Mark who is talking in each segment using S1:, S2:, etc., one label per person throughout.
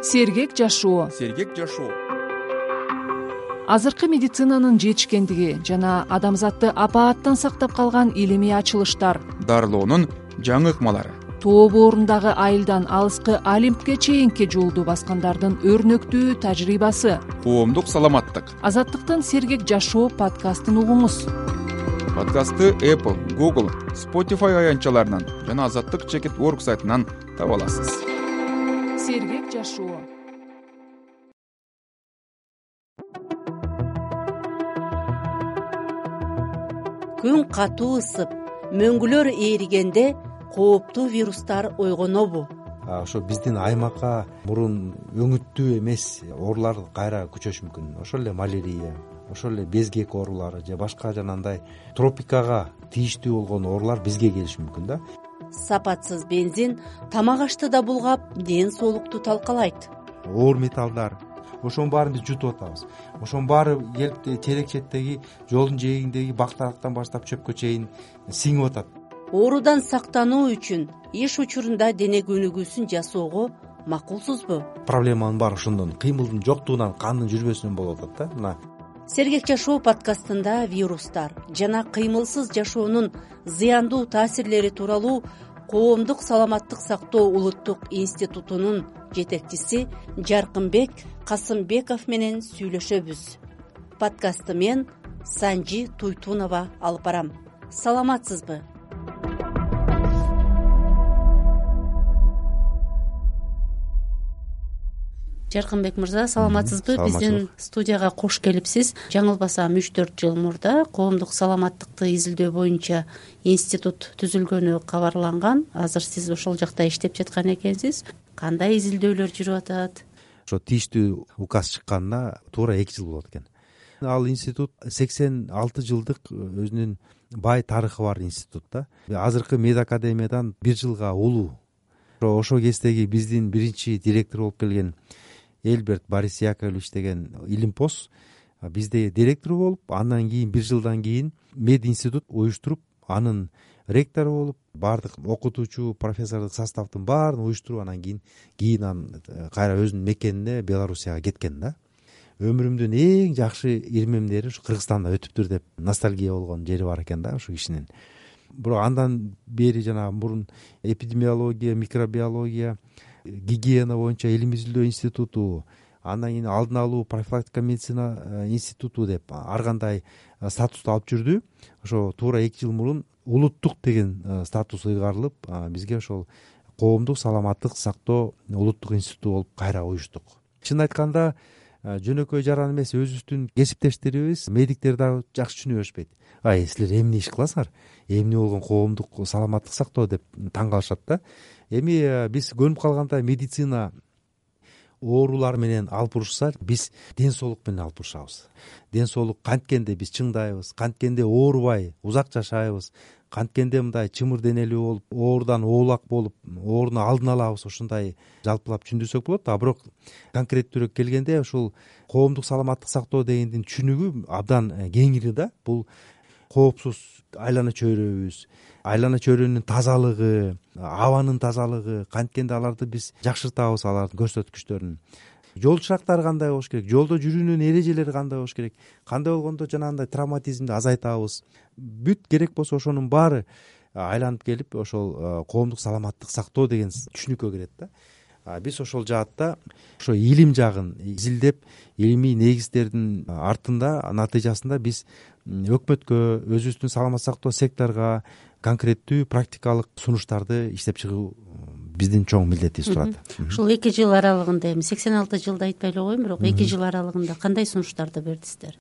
S1: Сергек жашоо. Азыркы медицинанын жетишкендиги жана адамзатты апааттан сактап калган илимий ачылыштар,
S2: дарылоонун жаңы ыкмалары,
S1: тоо боорундагы айылдан алыскы Олимпке чейинки жолду баскандардын өрнөктүү тажрыйбасы.
S2: коомдук саламаттык.
S1: Азаттыктын Сергек жашоо подкастын угуңуз.
S2: Подкастты Apple, Google, Spotify аянтчаларынан жана Азаттык.org сайтынан таба аласыз.
S1: Сергек жашоо.
S3: Күн катуу ысып, мөңгүлөр ээригенде кооптуу вирустар ойгонобу?
S4: Ошо биздин аймакка мурун өңүттүү эмес оорулар кайра күчөшү мүмкүн. Ошол эле малярия, ошол эле безгек оорулары же башка жанагындай тропикага тийиштүү болгон оорулар бизге келиши мүмкүн да.
S3: Сапатсыз бензин тамак ашты да булгап, ден соолукту талкалайт.
S4: Оор металлдар, ошонун баарын биз жутуп атабыз. Ошонун баары келип терек четтеги жолдун жээгиндеги бактарактан баштап чөпкө чейин сиңип атат.
S3: Оорудан сактануу үчүн иш учурунда дене көнүгүүсүн жасоого макулсузбу?
S4: Проблеманын баары ошондон, кыймылдын жоктугунан, кандын жүрбөсүнөн болуп атат да. Мына
S3: Сергек жашоо подкастында вирустар жана кыймылсыз жашоонун зыяндуу таасирлери тууралуу Коомдук саламаттык сактоо улуттук институтунун жетекчиси Жаркынбек Касымбеков менен сүйлөшөбүз. Подкастты мен Санжи Туйтунова алып барам. Саламатсызбы? Жаркынбек мырза, саламатсызбы? Биздин студияга кош келипсиз. Жаңылбасам 3-4 жыл мурда коомдук саламаттыкты изилдөө боюнча институт түзүлгөнү кабарланган. Азыр сиз ошол жакта иштеп жаткан экенсиз. Кандай изилдөөлөр жүрүп атат?
S4: ошо тийиштүү указ чыкканына туура 2 жыл болот экен. Ал институт 86 жылдык өзүнүн бай тарыхы бар институт да. Азыркы медакадемиядан 1 жылга улуу. Ошол кездеги биздин биринчи директор болуп келген Эльберт Борис Яковлевич деген илимпоз бизде директор болуп, андан кийин 1 жылдан кийин мед институт уюштуруп, анын ректору болуп, баардык окутуучу, профессордук составдын баарын уюштуруп, анан кийин анан кайра өзүнүн мекенине Белоруссияга кеткен да. Өмүрүмдүн эң жакшы ирмемдери ушу Кыргызстанда өтүптүр деп ностальгия болгон жери бар экен да ушул кишинин. Бирок андан бери жана мурун эпидемиология, микробиология, гигиена боюнча илим изилдөө институту, андан кийин алдын алуу профилактика медицина институту деп ар кандай статусту алып жүрдү. Ошо туура 2 жыл мурун улуттук деген статус ыйгарылып, бизге ошол коомдук саламаттык сактоо улуттук институту болуп кайра уюштук. Чын айтканда жөнөкөй жаран эмес, өзүбүздүн кесиптештерибиз, медиктер дагы жакшы түшүнө беришпейт. Силер эмне иш кыласыңар? Эмне болгон коомдук саламаттык сактоо деп таң калышат да. Эми биз көнүп калганда медицина оорулар менен алып урушса, биз ден соолук менен алып урушабыз. Ден соолук канткенде биз чыңдайбыз, канткенде оорубай узак жашайбыз, канткенде мындай чымыр денелүү болуп, оорудан оолак болуп, ооруну алдын алабыз, ушундай жалпылап түшүндүрсөк болот. Бирок конкреттүүрөөк келгенде ушул коомдук саламаттык сактоо дегендин түшүнүгү абдан кеңири да. Бул коопсуз айлана чөйрөбүз, айлана чөйрөнүн тазалыгы, абанын тазалыгы, канткенде аларды биз жакшыртабыз, алардын көрсөткүчтөрүн. Жол шырактары кандай болуш керек, жолдо жүрүүнүн эрежелери кандай болуш керек, кандай болгондо жанагындай травматизмди азайтабыз. Бүт керек болсо ошонун баары айланып келип ошол коомдук саламаттык сактоо деген түшүнүккө кирет да. Биз ошол жаатта ошо илим жагын изилдеп, илимий негиздердин артында натыйжасында биз өкмөткө, өзүбүздүн саламаттык сактоо секторго конкреттүү практикалык сунуштарды иштеп чыгуу биздин чоң милдетибиз турат.
S3: Ушул 2 жыл аралыгында, эми 86 жылда айтпай эле коеюн, бирок 2 жыл аралыгында кандай сунуштарды бердиңиздер?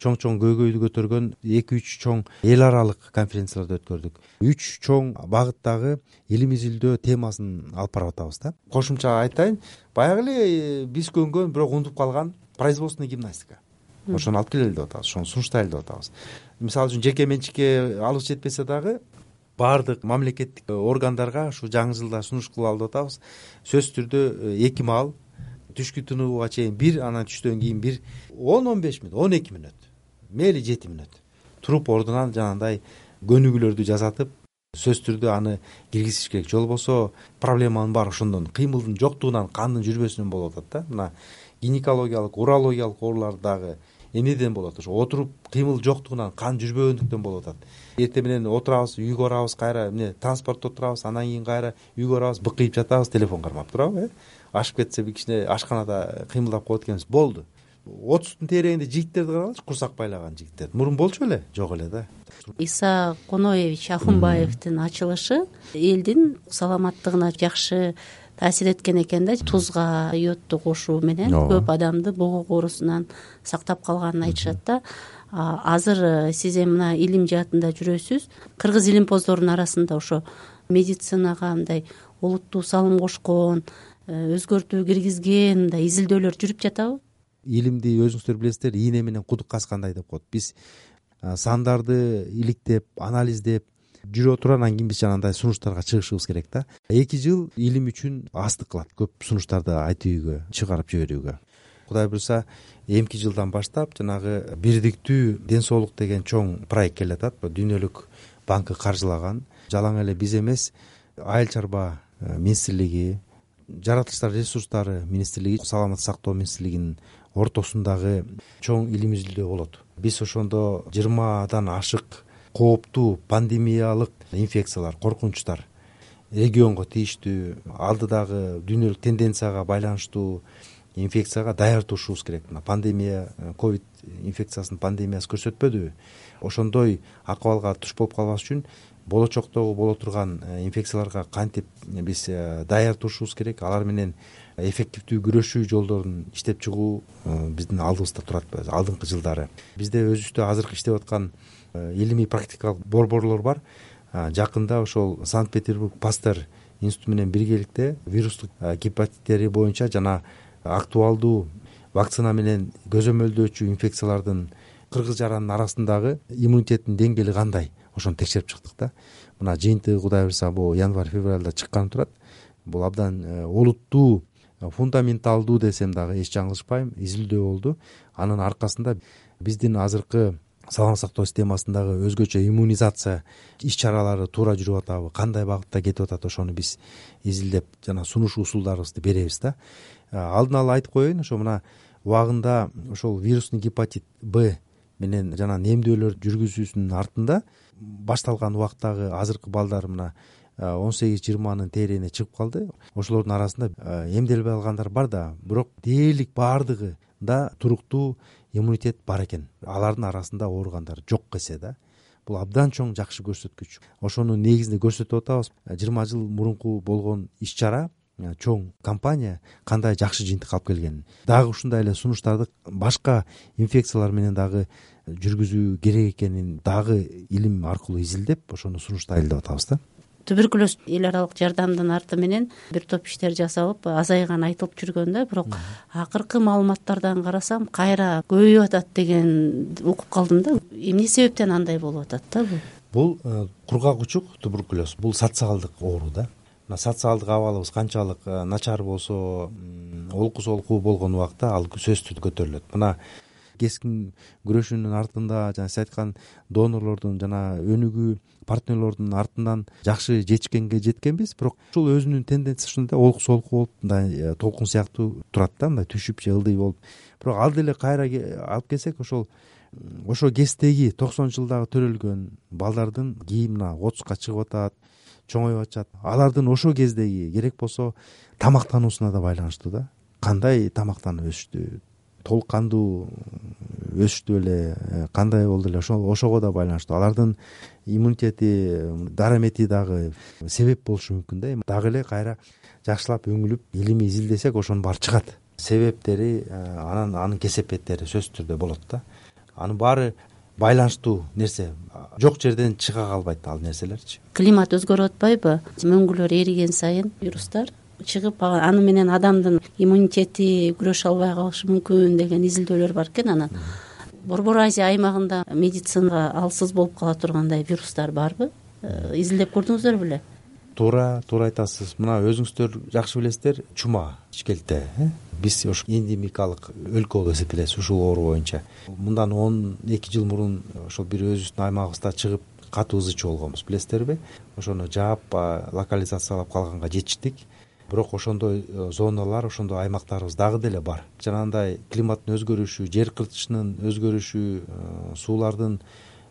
S4: Чоң көйгөйдү көтөргөн 2-3 чоң эл аралык конференцияларды өткөрдүк. 3 чоң багыттагы илим изилдөө темасын алып барып атабыз да. Кошумча айтайын, баягы эле биз көнгөн, бирок унутуп калган производственный гимнастика. Ошону алып келели деп атабыз, ошону сунуштайлы деп атабыз. Мисалы үчүн жеке менчикке алыс жетпесе дагы баардык мамлекеттик органдарга ушу жаңы жылда сунуш кылалы деп атабыз. Сөзсүз түрдө 2 маал түшкү тынууга чейин 1, анан түштөн кийин 1, 10-15 мүнөт, 12 мүнөт, мейли 7 мүнөт туруп ордунан жанагындай көнүгүүлөрдү жасатып, сөзсүз түрдө аны киргизиш керек. Же болбосо проблеманын баары ошондон, кыймылдын жоктугунан, кандын жүрбөсүнөн болуп атат да. Мына гинекологиялык, урологиялык оорулар дагы эмнеден болот? Ошо отуруп кыймыл жоктугунан, кан жүрбөгөндүктөн болуп атат. Эртең менен отурабыз, үйгө барабыз, кайра эмне транспортто отурабыз, андан кийин кайра үйгө барабыз, быкыйып жатабыз, телефон кармап турабы, ашып кетсе бир кичине ашканада кыймылдап коет экенбиз, болду. 30-тун тегерегинде жигиттерди карагылачы, курсак байлаган жигиттер. Мурун болчу беле? Жок эле да.
S3: Иса Коноевич Ахунбаевдин ачылышы элдин саламаттыгына жакшы таасир эткен экен да. Тузга йодду кошуу менен көп адамды богок оорусунан сактап калганын айтышат да. Азыр сиз эми мына илим жаатында жүрөсүз. Кыргыз илимпоздорунун арасында ошо медицинага мындай олуттуу салым кошкон, өзгөртүү киргизген мындай изилдөөлөр жүрүп жатабы?
S4: Илимди өзүңүздөр билесиздер, ийне менен кудук каскандай деп коет. Биз сандарды иликтеп, анализдеп жүрө отуруп, анан кийин биз жанагындай сунуштарга чыгышыбыз керек да. 2 жыл илим үчүн астык кылат, көп сунуштарды айтууга, чыгарып жиберүүгө. Кудай буюрса, эмки жылдан баштап жанагы бирдиктүү ден соолук деген чоң проект келатат. Дүйнөлүк банкы каржылаган. Жалаң эле биз эмес, Айыл чарба министрлиги, жаратылыштар ресурстары министрлиги, саламаттык сактоо министрлигинин ортосундагы чоң илим изилдөө болот. Биз ошондо 20дан ашык кооптуу пандемиялык инфекциялар, коркунучтар регионго тийиштүү, алдыдагы дүйнөлүк тенденцияга байланыштуу инфекцияга даярдышыбыз керек. Мына пандемия, ковид инфекциясынын пандемиясы көрсөтпөдүбү? Ошондой акыбалга туш болуп калбаш үчүн болочоктогу боло турган инфекцияларга кантип биз даярдышыбыз керек, алар менен эффективдүү күрөшүү жолдорун иштеп чыгуу биздин алдыбызда турат. Алдыңкы жылдары бизде өзүбүздө азыркы иштеп аткан илимий практикалык борборлор бар. Жакында ошол Санкт-Петербург Пастер институту менен биргеликте вирустук гепатиттери боюнча жана актуалдуу вакцина менен көзөмөлдөөчү инфекциялардын кыргыз жаранын арасындагы иммунитеттин деңгээли кандай, ошону текшерип чыктык да. Мына жыйынтыгы Кудай буюрса бул январь-февралда чыкканы турат. Бул абдан олуттуу, фундаменталдуу десем дагы эч жаңылышпайм, изилдөө болду. Анын аркасында биздин азыркы саламаттык сактоо системасындагы өзгөчө иммунизация иш чаралары туура жүрүп атабы, кандай багытта кетип атат, ошону биз изилдеп жана сунуш усулдарыбызды беребиз да. Алдын ала айтып коеюн, ошо мына убагында ошол вирусный гепатит Б менен жана эмдөөлөр жүргүзүүсүнүн артында башталган убактагы азыркы балдар мына 18-20нын тегерегине чыгып калды. Ошолордун арасында эмделбей алгандар бар да, бирок дээрлик баардыгында туруктуу иммунитет бар экен. Алардын арасында ооругандар жок эсе да. Бул абдан чоң жакшы көрсөткүч. Ошонун негизинде көрсөтүп атабыз. 20 жыл мурунку болгон иш чара, чоң компания кандай жакшы жыйынтык алып келгенин, дагы ушундай эле сунуштарды башка инфекциялар менен дагы жүргүзүү керек экенин дагы илим аркылуу изилдеп, ошону сунуштайлы деп атабыз да.
S3: Туберкулез эл аралык жардамдын арты менен бир топ иштер жасалып, азайганы айтылып жүргөн да, бирок акыркы маалыматтардан карасам кайра көбөйүп атат деген угуп калдым да. Эмне себептен андай болуп атат да бул?
S4: Бул кургак учук туберкулез, бул социалдык оору да. Мына социалдык абалыбыз канчалык начар болсо, олку солку болгон убакта ал сөзсүз көтөрүлөт. Мына кескин күрөшүүнүн артында жана сиз айткан донорлордун жана өнүгүү партнерлордун артынан жакшы жетишкенге жеткенбиз, бирок ушул өзүнүн тенденциясы ушундай олку солку болуп, мындай толкун сыяктуу турат да, мындай түшүп же ылдый болуп. Бирок ал деле кайра алып келсек, ошо кездеги 90-жылдагы төрөлгөн балдардын кийин мына 30ка чыгып атат, чоңоюп атышат. Алардын ошол кездеги керек болсо тамактануусуна да байланыштуу да. Кандай тамактанып өсүштү, толук кандуу өсүштү беле, кандай болду эле, ошого да байланыштуу. Алардын иммунитети, дарамети дагы себеп болушу мүмкүн да. Дагы эле кайра жакшылап өңүлүп илимий изилдесек, ошонун баары чыгат. Себептери, анын кесепеттери сөзсүз түрдө болот да. Анын баары байланыштуу нерсе. Жок жерден чыга калбайт ал нерселерчи. Климат
S3: өзгөрүп атпайбы? Мөңгүлөр эриген сайын вирустар чыгып, аны менен адамдын иммунитети күрөшө албай калышы мүмкүн деген изилдөөлөр бар экен. Анан Борбор Азия аймагында медицинага алсыз болуп кала тургандай вирустар барбы? Изилдеп көрдүңүздөр беле?
S4: Туура айтасыз. Мына өзүңүздөр жакшы билесиздер, чума ичкелте. Биз ошо эндемикалык өлкө болуп эсептелебиз ушул оору боюнча. Мындан 12 жыл мурун ошол бир өзүбүздүн аймагыбызда чыгып катуу ыз ичүү болгонбуз, билесиздерби? Ошону жаап локализациялап калганга жетиштик. Бирок ошондой зоналар, ошондой аймактарыбыз дагы деле бар. Жанагындай климаттын өзгөрүшү, жер кыртышынын өзгөрүшү, суулардын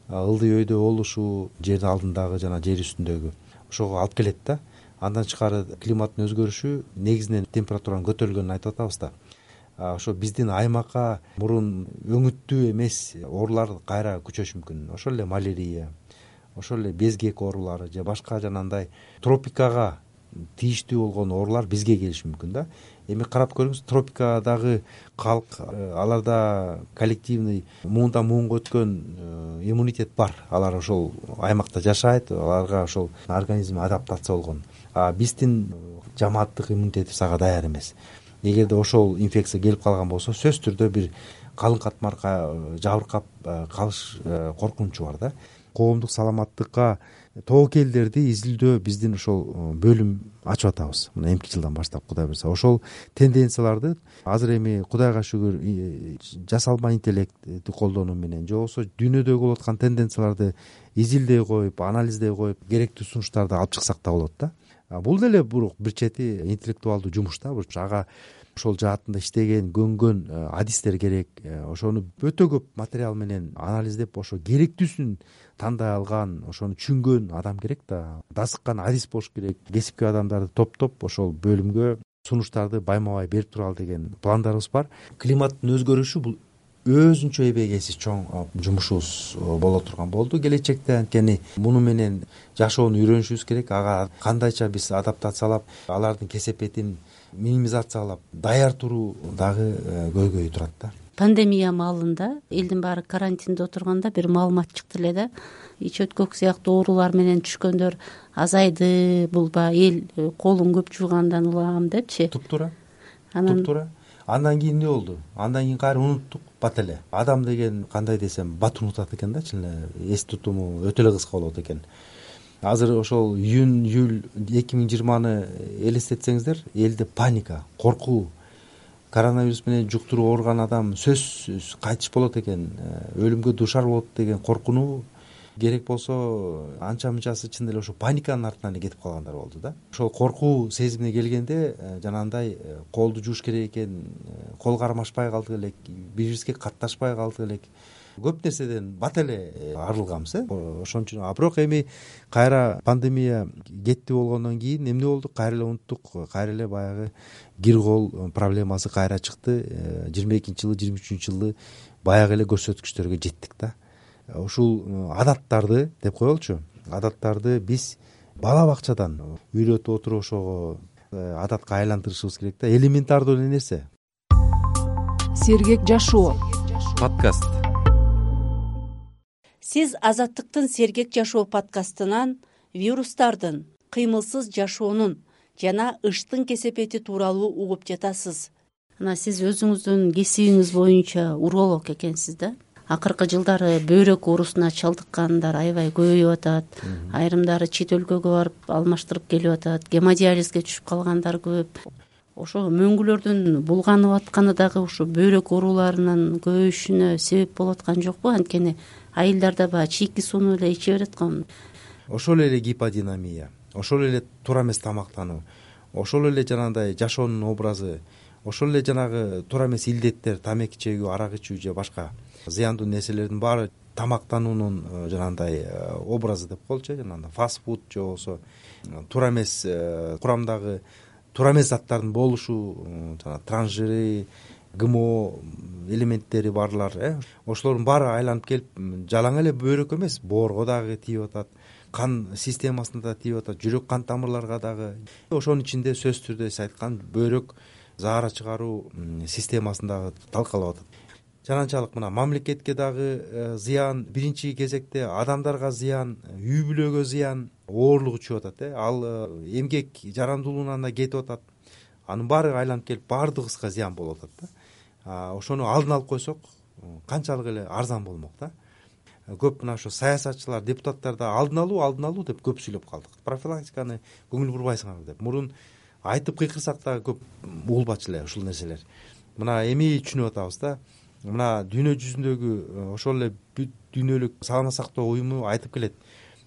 S4: ылдый өйдө болушу, жердин алдындагы жана жер үстүндөгү ошого алып келет да. Андан тышкары климаттын өзгөрүшү негизинен температуранын көтөрүлгөнүн айтып атабыз да. Ошо биздин аймакка мурун өңүттүү эмес оорулар кайра күчөшү мүмкүн. Ошол эле малярия, ошол эле безгек оорулары же башка жанагындай тропикага тийиштүү болгон оорулар бизге келиши мүмкүн да. Эми карап көрүңүз, тропикадагы калк, аларда коллективный муундан муунга өткөн иммунитет бар. Алар ошол аймакта жашайт, аларга ошол организм адаптация болгон. Биздин жамааттык иммунитетибиз ага даяр эмес. Эгерде ошол инфекция келип калган болсо, сөзсүз түрдө бир калың катмарга жабыркап калыш коркунучу бар да. Коомдук саламаттыкка тобокелдерди изилдөө биздин ошол бөлүм ачып атабыз. Мына эмки жылдан баштап, Кудай буйрса, ошол тенденцияларды азыр эми Кудайга шүгүр жасалма интеллектти колдонуу менен же болбосо дүйнөдөгү болуп аткан тенденцияларды изилдей коюп, анализдей коюп, керектүү сунуштарды алып чыксак да болот да. Бул деле бир чети интеллектуалдуу жумуш да. Ага ошол жаатында иштеген, көнгөн адистер керек. Ошону өтө көп материал менен анализдеп, ошо керектүүсүн тандай алган, ошону түшүнгөн адам керек да. Дасыккан адис болуш керек. Кесипкөй адамдарды топтоп ошол бөлүмгө сунуштарды байма-бай берип туралы деген пландарыбыз бар. Климаттын өзгөрүшү бул өзүнчө эбегейсиз чоң жумушубуз боло турган болду келечекте. Анткени муну менен жашоону үйрөнүшүбүз керек. Ага кандайча биз адаптациялап, алардын кесепетин минимизациялап даяр туруу дагы көйгөйү турат да.
S3: Пандемия маалында элдин баары карантинде отурганда бир маалымат чыкты эле да. Ич өткөк сыяктуу оорулар менен түшкөндөр азайды, бул баягы эл колун көп жуугандан улам депчи.
S4: Туптуура. Андан кийин эмне болду? Андан кийин кайра унуттук бат эле. Адам деген кандай десем бат унутат экен да, чын эле эс тутуму өтө эле кыска болот экен. Азыр ошол июнь-июль 2020-ны элестетсеңиздер, элде паника, коркуу, коронавирус менен жуктуруп ооруган адам сөзсүз кайтыш болот экен, өлүмгө дуушар болот деген коркунуу керек болсо анча-мынчасы чын эле ошо паниканын артынан эле кетип калгандар болду да. Ошол коркуу сезимине келгенде жанагындай колду жууш керек экен, кол кармашпай калдык элек, бири бирибизге катташпай калдык элек. Көп нерседен бат эле арылганбыз. Ошон үчүн. Бирок эми кайра пандемия кетти болгондон кийин эмне болду? Кайра эле унуттук, кайра эле баягы кир кол проблемасы кайра чыкты. 22-жылы, 23-жылы баягы эле көрсөткүчтөргө жеттик да. Ушул адаттарды деп коелучу. Адаттарды биз бала бакчадан үйрөтүп отуруп ошого адатка айлантырышыбыз керек да. Элементардуу эле нерсе.
S1: Сергек жашоо
S2: подкаст.
S3: Сиз Азаттыктын Сергек жашоо подкастынан вирустардын, кыймылсыз жашоонун жана ыштын кесепети тууралуу угуп жатасыз. Сиз өзүңүздүн кесибиңиз боюнча уролог экенсиз да. Акыркы жылдары бөйрөк оорусуна чалдыккандар аябай көбөйүп атат. Айрымдары чет өлкөгө барып алмаштырып келип атат. Гемодиализге түшүп калгандар көп. Ошо мөңгүлөрдүн булганып атканы дагы ушу бөйрөк ооруларынын көбөйүшүнө себеп болуп аткан жокпу? Анткени айылдарда баягы чийки сууну эле иче берет го.
S4: Ошол эле гиподинамия, ошол эле туура эмес тамактануу, ошол эле жанагындай жашоонун образы, ошол эле жанагы туура эмес илдеттер, тамеки чегүү, арак ичүү же башка зыяндуу нерселердин баары тамактануунун жанагындай образы деп коелучу, жанагындай фастфуд же болбосо туура эмес курамдагы туура эмес заттардын болушу, жана трансжиры, ГМО элементтери барлар, ошолордун баары айланып келип жалаң эле бөйрөккө эмес, боорго дагы тийип атат, кан системасына да тийип атат, жүрөк кан тамырларга дагы. Ошонун ичинде сөзсүз түрдө сиз айткан бөйрөк заара чыгаруу системасын дагы талкалап атат. Жананчалык мына мамлекетке дагы зыян, биринчи кезекте адамдарга зыян, үй бүлөгө зыян, оорлук учуп атат. Ал эмгек жарандуулугунан да кетип атат. Анын баары айланып келип баардыгыбызга зыян болуп атат да. Ошону алдын алып койсок, канчалык эле арзан болмок да. Көп мына ошо саясатчылар, депутаттар да алдын алуу деп көп сүйлөп калдык. Профилактиканы көңүл бурбайсыңарбы деп. Мурун айтып кыйкырсак да көп угулбачу эле ушул нерселер. Мына эми түшүнүп атабыз да. Мына дүйнө жүзүндөгү ошол эле бүт дүйнөлүк саламат сактоо уюму айтып келет.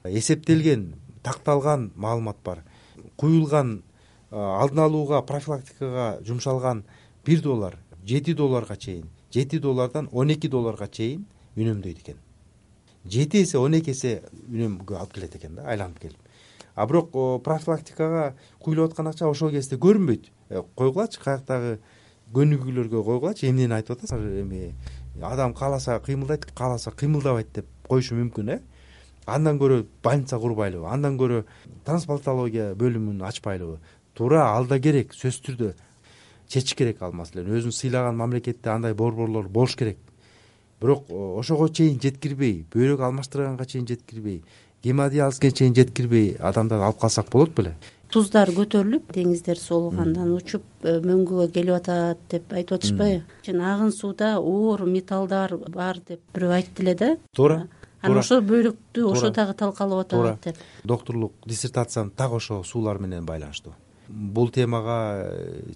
S4: эсептелген, такталган маалымат бар. Куюлган, алдын алууга, профилактикага жумшалган $1 $7 чейин, $7 $12 чейин үнөмдөйт экен. 7 эсе 12 эсе үнөмгө алып келет экен да, айланып келип. А бирок профилактикага куюлуп аткан акча ошол кезде көрүнбөйт. Койгулачы, каяктагы көнүгүүлөргө койгулачы, эмнени айтып атасың? Эми адам кааласа кыймылдайт, кааласа кыймылдабайт деп коюшу мүмкүн. Андан көрө больница курбайлыбы, андан көрө трансплантология бөлүмүн ачпайлыбы? Туура алда керек, сөзсүз түрдө чечиш керек ал маселени. Өзүн сыйлаган мамлекетте андай борборлор болуш керек. Бирок ошого чейин жеткирбей, бөйрөк алмаштырганга чейин жеткирбей, гемодиализге чейин жеткирбей адамдарды алып калсак болот беле?
S3: Туздар көтөрүлүп, деңиздер соолугандан учуп мөңгүгө келип атат деп айтып атышпайбы? Агын сууда оор металлдар бар деп бирөө айтты эле да.
S4: Туура.
S3: Анан ошо бөйрөктү ошо дагы талкалап атат деп.
S4: Докторлук диссертациям так ошо суулар менен байланыштуу. Бул темага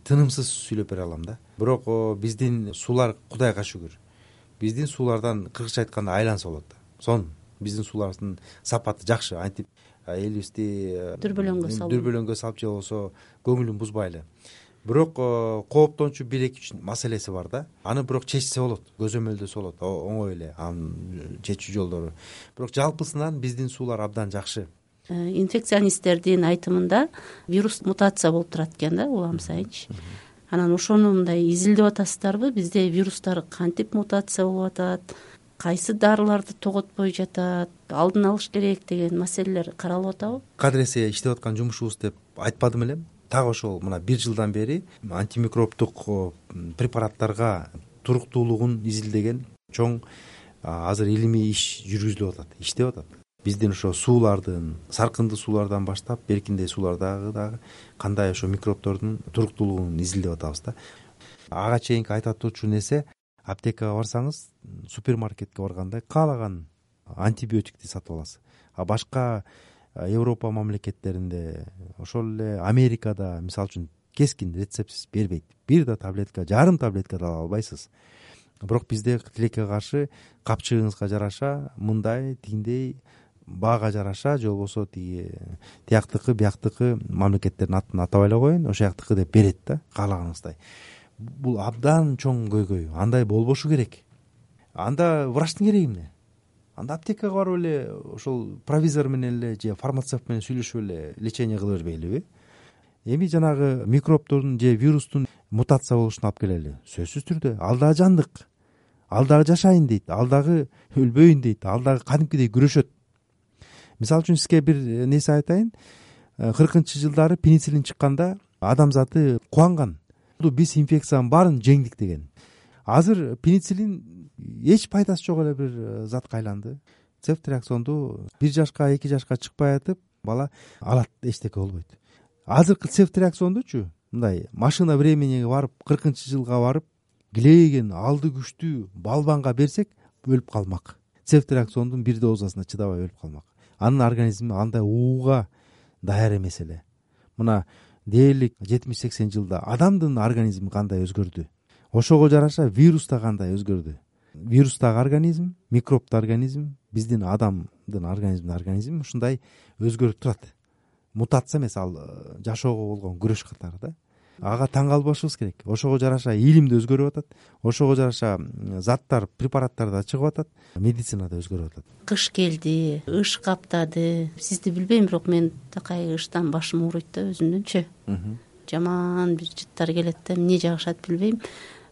S4: тынымсыз сүйлөп бере алам да. Бирок биздин суулар, Кудайга шүгүр, биздин суулардан кыргызча айтканда айланса болот. Сон биздин суулардын сапаты жакшы, антип элибизди дүрбөлөңгө салып же болбосо көңүлүн бузбайлы. Бирок кооптончу 1-2 маселеси бар да. Аны бирок чечсе болот, көзөмөлдөсө болот, оңой эле анын чечүү жолдору. Бирок жалпысынан биздин суулар абдан жакшы.
S3: Инфекционисттердин айтымында вирус мутация болуп турат экен да, улам сайынчы. Анан ошону мындай изилдеп атасыздарбы? Бизде вирустар кантип мутация болуп атат, кайсы дарыларды тоготпой жатат, алдын алыш керек деген маселелер каралып атабы?
S4: Кадыресе иштеп аткан жумушубуз деп айтпадым элем. Так ошол мына 1 жылдан бери антимикробдук препараттарга туруктуулугун изилдеген чоң азыр илимий иш жүргүзүлүп атат, иштеп атат. Биздин ошо суулардын, саркынды суулардан баштап беркиндей суулардагы дагы кандай ошо микробдордун туруктуулугун изилдеп атабыз да. Ага чейинки айта турчу нерсе, аптекага барсаңыз, супермаркетке барганда каалаган антибиотикти сатып аласыз. А башка Европа мамлекеттеринде, ошол эле Америкада мисалы үчүн кескин рецептсиз бербейт. Бир да таблетка, жарым таблетка да ала албайсыз. Бирок бизде тилекке каршы капчыгыңызга жараша, мындай, тигиндей, баага жараша, же болбосо тияктыкы, бияктыкы мамлекеттердин атын атабай эле коеюн, ошол жактыкы деп берет да, каалаганыңыздай. Бул абдан чоң көйгөй. Андай болбошу керек. Анда врачтын кереги эмне? Анда аптекага барып эле ошол провизор менен эле же фармацевт менен сүйлөшүп эле лечение кыла бербейлиби? Эми жанагы микробдордун же вирустун мутация болушуна алып келели. Сөзсүз түрдө ал дагы жандык, ал дагы жашайын дейт, ал дагы өлбөйүн дейт, ал дагы кадимкидей күрөшөт. Мисалы үчүн сизге бир нерсе айтайын. 40-жылдары пенициллин чыкканда адамзаты кубанган. Биз инфекциянын баарын жеңдик деген. Азыр пенициллин эч пайдасы жок эле бир затка айланды. Цефтриаксонду 1 жашка, 2 жашка чыкпай атып, бала алат, эчтеке болбойт. Азыркы цефтриаксондучу мындай машина времениге барып, 40-жылга барып, килейген алды күчтүү балбанга берсек, өлүп калмак. Цефтриаксондун 1 дозасына чыдабай өлүп калмак. Анын организми андай ууга даяр эмес эле. Мына дээрлик 70-80 жылда адамдын организми кандай өзгөрдү? Ошого жараша вирус да кандай өзгөрдү? Вирустагы организм, микробдуу организм, биздин адамдын организми ушундай өзгөрүп турат. Мутация эмес, ал жашоого болгон күрөш катары да. Ага таң калбашыбыз керек. Ошого жараша илим да өзгөрүп атат. Ошого жараша заттар, препараттар да чыгып атат. Медицина да өзгөрүп атат.
S3: Кыш келди, ыш каптады. Сизди билбейм, бирок мен такай ыштан башым ооруйт да өзүмдүнчү. Жаман бир жыттар келет да, эмне жагышат билбейм.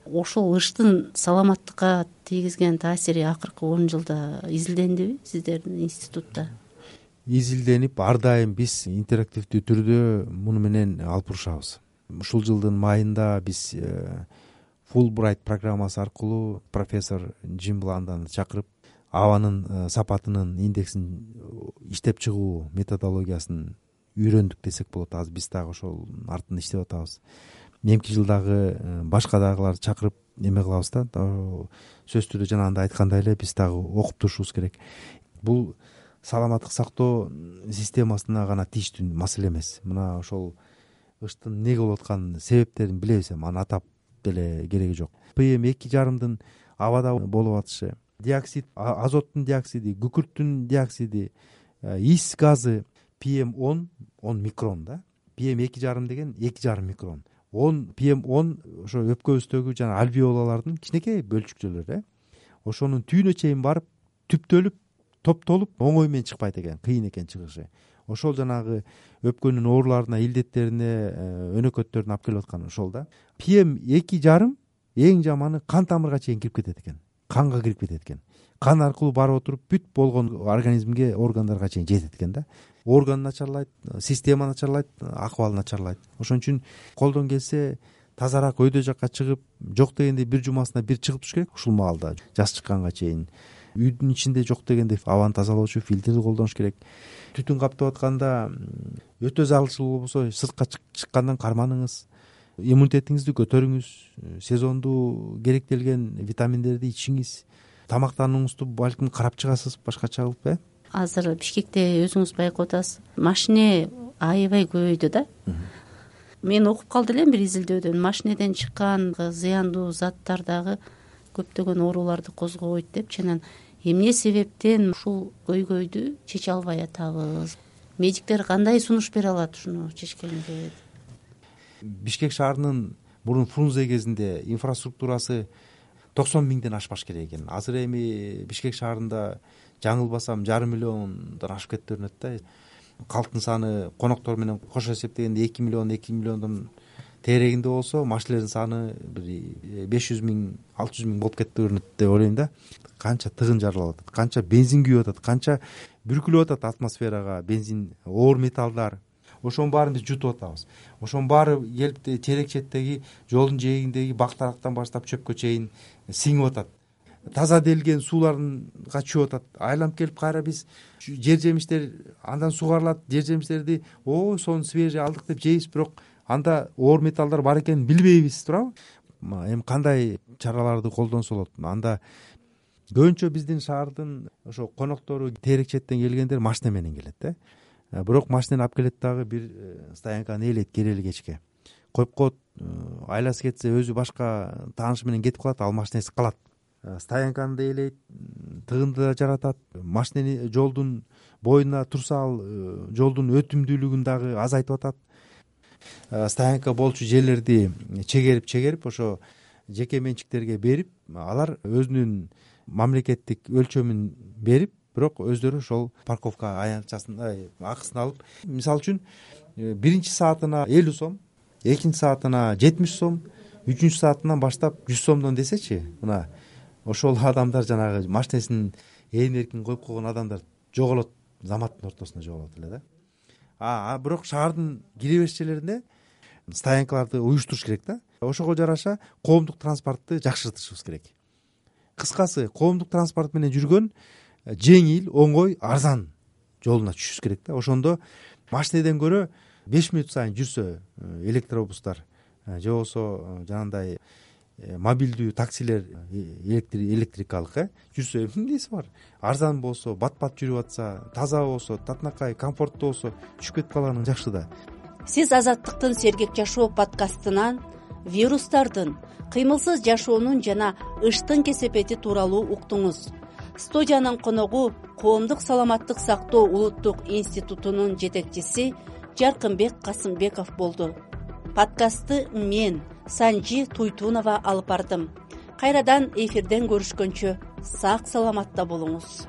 S3: Ошол ыштын саламаттыкка тийгизген таасири акыркы 10 жылда изилдендиби сиздердин институтта?
S4: Изилденип, ар дайым биз интерактивдүү түрдө муну менен алып урушабыз. Ушул жылдын майында биз Fulbright программасы аркылуу профессор Джим Бланданы чакырып, абанын сапатынын индексин иштеп чыгуу методологиясын үйрөндүк десек болот. Азыр биз дагы ошол артында иштеп атабыз. Эмки жылдагы башка дагыларды чакырып эме кылабыз да. Сөзсүз түрдө жанагындай айткандай эле биз дагы окуп турушубуз керек. Бул саламаттык сактоо системасына гана тийиштүү маселе эмес. Мына ошол ыштын эмнеге болуп атканын себептерин билебиз, аны атап деле кереги жок. PM2,5 абада болуп атышы, диоксид, азоттун диоксиди, күкүрттүн диоксиди, ис газы PM10 микрон да, PM2,5 деген 2,5 микрон, 10 PM10 ошо өпкөбүздөгү жана альвеолалардын кичинекей бөлчүкчөлөрү, ошонун түбүнө чейин барып түптөлүп топтолуп оңой менен чыкпайт экен, кыйын экен чыгышы. Ошол жанагы өпкөнүн ооруларына, илдеттерине, өнөкөттөрүнө алып келип аткан ошол да. PM2,5 эң жаманы кан тамырга чейин кирип кетет экен, канга кирип кетет экен. Кан аркылуу барып отуруп бүт болгон организмге, органдарга чейин жетет экен да. Орган начарлайт, система начарлайт, акыбал начарлайт. Ошон үчүн колдон келсе тазараак өйдө жакка чыгып, жок дегенде бир жумасына бир чыгып туруш керек ушул маалда, жаз чыкканга чейин. Үйдүн ичинде жок дегенде абаны тазалоочу фильтрди колдонуш керек. Түтүн каптап атканда өтө зарылчыл болбосо сыртка чыккандан карманыңыз. Иммунитетиңизди көтөрүңүз, сезондуу керектелген витаминдерди ичиңиз. Тамактанууңузду балким карап чыгасыз башкача кылып,
S3: Азыр Бишкекте өзүңүз байкап атасыз, машине аябай көбөйдү да. Мен окуп калды элем бир изилдөөдөн, машинеден чыккан зыяндуу заттар дагы көптөгөн ооруларды козгобойт депчи. Анан эмне себептен ушул көйгөйдү чече албай атабыз? Медиктер кандай сунуш бере алат ушуну чечкенге?
S4: Бишкек шаарынын мурун Фрунзе кезинде инфраструктурасы 90 миңден ашпаш керек экен. Азыр эми Бишкек шаарында жаңылбасам 1,5 миллиондон ашып кетти көрүнөт да. Калктын саны коноктор менен кошо эсептегенде 2 миллиондон тегерегинде болсо, машинелердин саны бир 500 миң, 600 миң болуп кетти көрүнөт деп ойлойм да. Канча тыгын жаралып атат, канча бензин күйүп атат, канча бүркүлүп атат атмосферага бензин, оор металлдар. Ошонун баарын биз жутуп атабыз. Ошонун баары келип терек четтеги жолдун жээгиндеги бактарактан баштап чөпкө чейин сиңип атат. Таза делген сууларга чүйүп атат. Айланып келип кайра биз жер жемиштер андан сугарылат, жер жемиштерди сонун свежий алдык деп жейбиз, бирок анда оор металлдар бар экенин билбейбиз, туурабы? Эми кандай чараларды колдонсо болот? Анда көбүнчө биздин шаардын ошо коноктору терек четтен келгендер машина менен келет да. Бирок машинени алып келет дагы бир стоянканы ээлейт керели кечке. Коюп коет, айласы кетсе өзү башка таанышы менен кетип калат, ал машинеси калат. Стоянканы да ээлейт, тыгынды да жаратат, машинени жолдун боюна турса ал жолдун өтүмдүүлүгүн дагы азайтып атат. Стоянка болчу жерлерди чегерип ошо жеке менчиктерге берип, алар өзүнүн мамлекеттик өлчөмүн берип, бирок өздөрү ошол парковка аянтчасын акысын алып, мисалы үчүн биринчи саатына 50 сом, экинчи саатына 70 сом, үчүнчү саатынан баштап 100 сомдон десечи, мына ошол адамдар жанагы машинесин эркин коюп койгон адамдар жоголот, заматтын ортосунда жоголот эле да. Бирок шаардын кире бериш жерлеринде стоянкаларды уюштуруш керек да. Ошого жараша коомдук транспортты жакшыртышыбыз керек. Кыскасы, коомдук транспорт менен жүргөн жеңил, оңой, арзан жолуна түшүш керек да. Ошондо машинеден көрө 5 мүнөт сайын жүрсө электробустар же болбосо жанагындай мобилдүү таксилер электрикалык жүрсө эмнеси бар? Арзан болсо, бат-бат жүрүп атса, таза болсо, татынакай, комфорттуу болсо түшүп кетип калганың жакшы да.
S3: Сиз Азаттыктын Сергек жашоо подкастынан вирустардын, кыймылсыз жашоонун жана ыштын кесепети тууралуу уктуңуз. Студиянын коногу Коомдук саламаттык сактоо улуттук институтунун жетекчиси Жаркынбек Касымбеков болду. Подкастты мен, Санжи Туйтунова алып бардым. Кайрадан эфирден көрүшкөнчө сак саламатта болуңуз.